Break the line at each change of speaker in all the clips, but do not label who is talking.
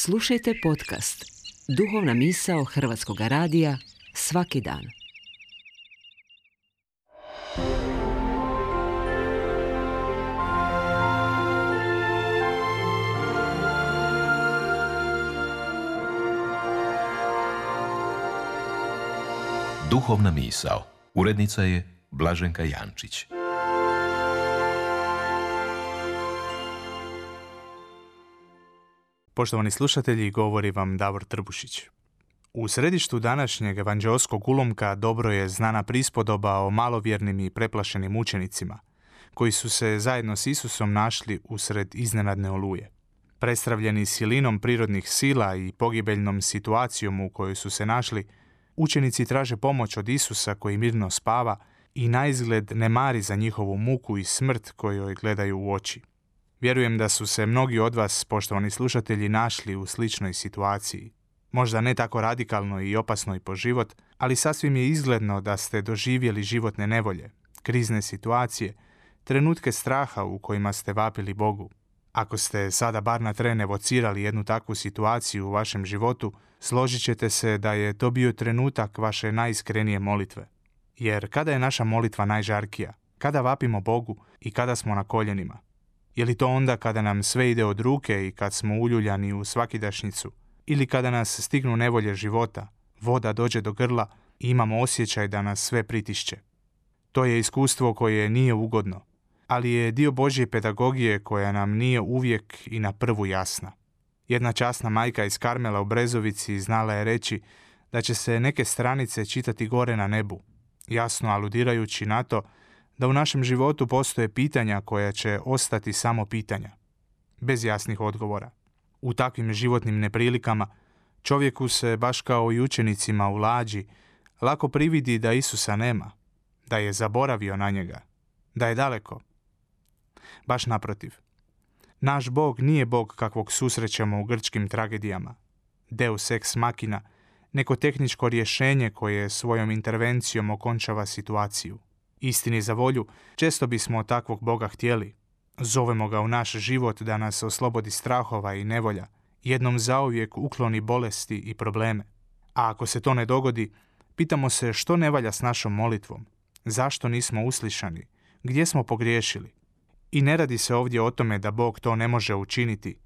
Slušajte podcast Duhovna misao Hrvatskog radija svaki dan.
Duhovna misao. Urednica je Blaženka Jančić.
Poštovani slušatelji, govori vam Davor Trbušić. U središtu današnjeg evanđeoskog ulomka dobro je znana prispodoba o malovjernim i preplašenim učenicima, koji su se zajedno s Isusom našli usred iznenadne oluje. Prestravljeni silinom prirodnih sila i pogibeljnom situacijom u kojoj su se našli, učenici traže pomoć od Isusa koji mirno spava i naizgled ne mari za njihovu muku i smrt kojoj gledaju u oči. Vjerujem da su se mnogi od vas, poštovani slušatelji, našli u sličnoj situaciji. Možda ne tako radikalno i opasno i po život, ali sasvim je izgledno da ste doživjeli životne nevolje, krizne situacije, trenutke straha u kojima ste vapili Bogu. Ako ste sada bar na tren evocirali jednu takvu situaciju u vašem životu, složit ćete se da je to bio trenutak vaše najiskrenije molitve. Jer kada je naša molitva najžarkija? Kada vapimo Bogu i kada smo na koljenima? Je li to onda kada nam sve ide od ruke i kad smo uljuljani u svakidašnjicu? Ili kada nas stignu nevolje života, voda dođe do grla i imamo osjećaj da nas sve pritišće? To je iskustvo koje nije ugodno, ali je dio Božje pedagogije koja nam nije uvijek i na prvu jasna. Jedna časna majka iz Karmela u Brezovici znala je reći da će se neke stranice čitati gore na nebu, jasno aludirajući na to da u našem životu postoje pitanja koja će ostati samo pitanja, bez jasnih odgovora. U takvim životnim neprilikama čovjeku se, baš kao i učenicima u lađi, lako prividi da Isusa nema, da je zaboravio na njega, da je daleko. Baš naprotiv. Naš Bog nije Bog kakvog susrećemo u grčkim tragedijama, deus ex machina, neko tehničko rješenje koje svojom intervencijom okončava situaciju. Istini za volju, često bismo od takvog Boga htjeli. Zovemo ga u naš život da nas oslobodi strahova i nevolja, jednom zauvijek ukloni bolesti i probleme. A ako se to ne dogodi, pitamo se što ne valja s našom molitvom, zašto nismo uslišani, gdje smo pogriješili. I ne radi se ovdje o tome da Bog to ne može učiniti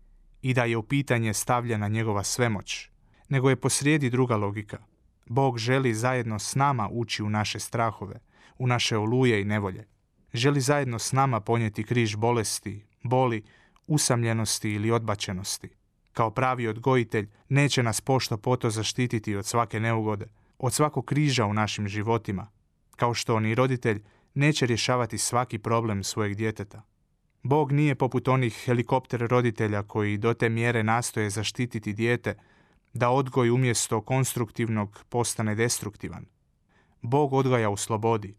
i da je u pitanje stavljena njegova svemoć, nego je posrijedi druga logika. Bog želi zajedno s nama ući u naše strahove, u naše oluje i nevolje. Želi zajedno s nama ponijeti križ bolesti, boli, usamljenosti ili odbačenosti. Kao pravi odgojitelj neće nas pošto poto zaštititi od svake neugode, od svakog križa u našim životima, kao što ni roditelj neće rješavati svaki problem svojeg djeteta. Bog nije poput onih helikopter roditelja koji do te mjere nastoje zaštititi dijete da odgoj umjesto konstruktivnog postane destruktivan. Bog odgaja u slobodi,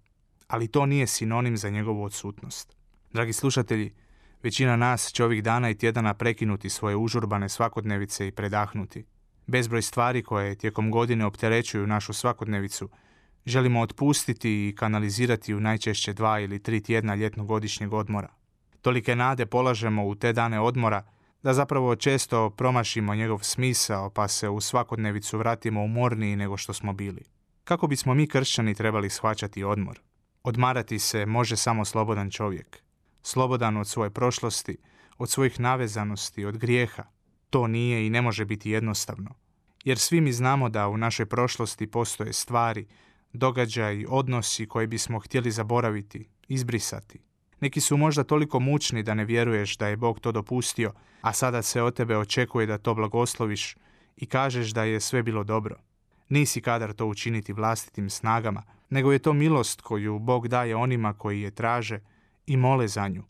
ali to nije sinonim za njegovu odsutnost. Dragi slušatelji, većina nas će ovih dana i tjedana prekinuti svoje užurbane svakodnevice i predahnuti. Bezbroj stvari koje tijekom godine opterećuju našu svakodnevicu želimo otpustiti i kanalizirati u najčešće 2 ili 3 tjedna ljetnogodišnjeg odmora. Tolike nade polažemo u te dane odmora da zapravo često promašimo njegov smisao pa se u svakodnevicu vratimo umorniji nego što smo bili. Kako bismo mi kršćani trebali shvaćati odmor? Odmarati se može samo slobodan čovjek. Slobodan od svoje prošlosti, od svojih navezanosti, od grijeha. To nije i ne može biti jednostavno. Jer svi mi znamo da u našoj prošlosti postoje stvari, događaji, odnosi koje bismo htjeli zaboraviti, izbrisati. Neki su možda toliko mučni da ne vjeruješ da je Bog to dopustio, a sada se od tebe očekuje da to blagosloviš i kažeš da je sve bilo dobro. Nisi kadar to učiniti vlastitim snagama, nego je to milost koju Bog daje onima koji je traže i mole za nju.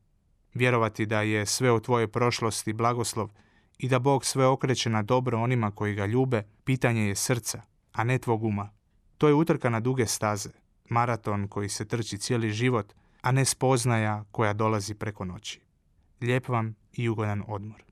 Vjerovati da je sve u tvojoj prošlosti blagoslov i da Bog sve okreće na dobro onima koji ga ljube, pitanje je srca, a ne tvog uma. To je utrka na duge staze, maraton koji se trči cijeli život, a ne spoznaja koja dolazi preko noći. Lijep vam i ugodan odmor.